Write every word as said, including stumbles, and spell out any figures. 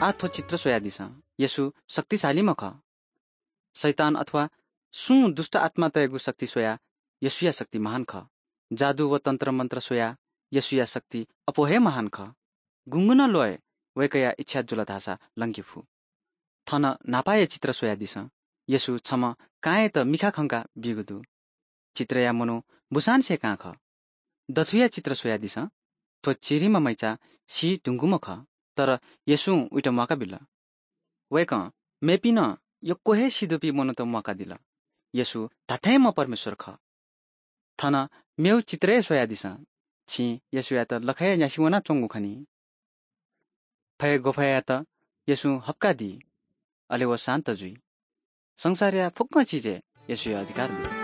आः थ्व चित्र स्वयादिसँ। येशू शक्तिशालीम्ह खः। शैतान अथवा सुं दुष्ट आत्मातय्‌गु शक्ति स्वयाः येशूया शक्ति महान खः। जादु व तन्त्रमन्त्र स्वयाः येशूया शक्ति अप्वः हे महान खः। गुंगुं नं ल्वहय् वय्‌कःया इच्छा जुल धाःसा लंके फु। थन न्हापाया चित्र स्वयादिसँ। येशू छम्ह कांयात मिखा खंका बीगु दु। चित्रया मनू बुसांनिसें कां खः। दथुया चित्र स्वयादिसँ। थ्व चिरिम्ह मैचा सी धुंकूम्ह खः, तर येशूं उइत म्वाका बिल। वय्‌कलं मेपिं नं यक्व हे सी दुपिं मनूत म्वाकादिल। येशू धात्थेंम्ह परमेश्वर खः। थन मेगु चित्र हे स्वयादिसँ। छिं येशूयात लखय् न्यासि वनाच्वंगु खनी। फय् ग्वफय्‌यात येशूं हप्कादी, अले व शान्त जुइ। संसारया फुक्क चिजय् येशूया अधिकार दु।